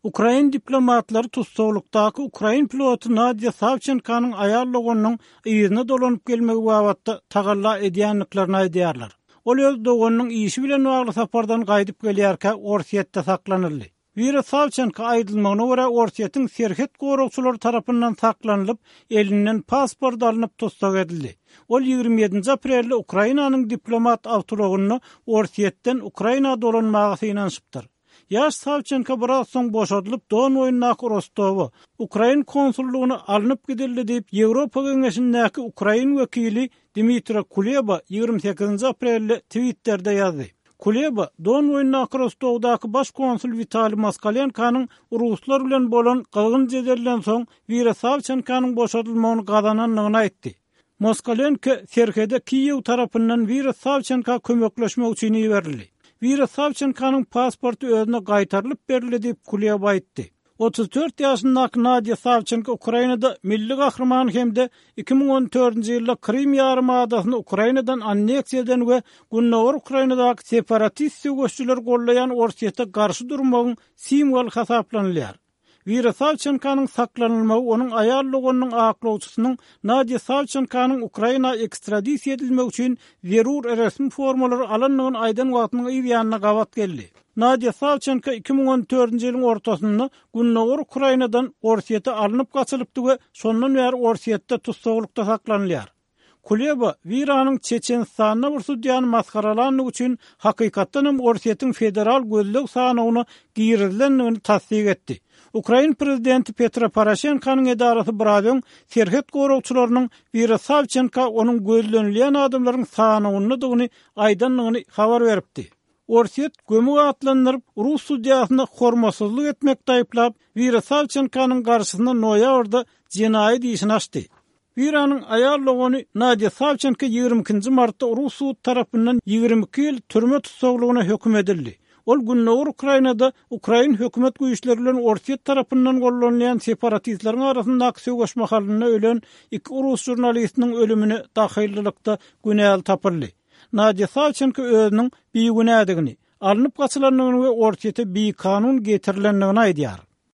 Ukrain diplomatlary tussaglykdaky ukrain piloty Nadýa Sawçenkonyň aýal doganynyň yzyna dolanyp gelmegi babatda tagalla edýändiklerini aýdýarlar. Ol öz doganynyň işi bilen bagly sapardan gaýdyp gelýärkä Orsýetde saklanyldy. Wira Sawçenko aýdylmagyna görä Orsýetiň serhet goragçylary tarapyndan saklanylyp, elinden pasport alnyp tussag edildi. Ol 27-nji aprelde Ukrainanyň diplomat awtoulagynda Orsýetden Ukraina dolanmaga synanyşypdyr. Ýaş Sawçenko biraz soň boşadylyp Don boýundaky Rostowa, ukrain konsullygyna alnyp gidildi diýip, Ýewropa Geňeşindäki ukrain wekili Dmitro Kuleba 28-nji aprelde Twitterde ýazdy. Kuleba, Don boýundaky Rostowdaky baş konsul Witaliý Moskalenkonyň ruslar bilen bolan gyzgyn jedelden soň Wira Sawçenkonyň boşadylmagyny gazanandygyny aýtdy. Moskalenko serhede Kiýew tarapyndan Wira Sawçenka kömekleşmek üçin iberildi. Wira Sawçenkonyň pasporty özüne gaýtarylyp berildi diýip, Kuleba aýtdy. 34 ýaşyndaky Nadýa Sawçenko Ukrainada milli gahryman hem-de 2014-nji ýylda Krym ýarym adasyny Ukrainadan anneksiýa eden we gündogar Ukrainadaky separatist söweşijileri goldaýan Orsýete garşy durmagyň simwoly hasaplanylýar. Wira Sawçenkonyň saklanylmagy onuň aýal doganynyň aklawçysynyň Nadýa Sawçenkonyň Ukraina ekstradisiýa edilmegi üçin zerur resmi formalary alandygyny aýdan wagtynyň yz ýanyna gabat geldi. Nadýa Sawçenko 2014-nji ýylyň ortasynda gündogar Ukrainadan Orsýete alnyp gaçylypdy we şondan bäri Orsýetde tussaglykda saklanylýar. Kuleba, Wiranyň Çeçenistanda bir sudýany masgaralandygy üçin hakykatdan hem Orsýetiň federal gözleg sanawyna girizilendigini tassyk etdi. Ukrain prezidenti Petro Poroşenkonyň edarasy biraz öň serhet goragçylarynyň Wira Sawçenka onuň gözlenilýän adamlaryň sanawyndadygyny aýdandygyny habar beripdi. Orsýet gömük atlandyryp, rus sudýasyna hormatsyzlyk etmekde aýyplap, Wira Sawçenkonyň garşysyna noýabrda jenaýat işini açdy. Wiranyň aýal dogany Nadýa Sawçenko 22-nji martda rus sudy tarapyndan 22 ýyl türme tussaglygyna höküm edildi. Ol gündogar Ukrainada ukrain hökümet güýçleri bilen Orsýet tarapyndan gollanylýan separatistleriň arasyndaky söweş mahalynda ölen iki rus žurnalistiniň ölümine dahyllylykda günäli tapyldy. Nadýa Sawçenko özüniň bigünädigini, alnyp gaçylandygyny we Orsýete bikanun getirilendigini aýdýar.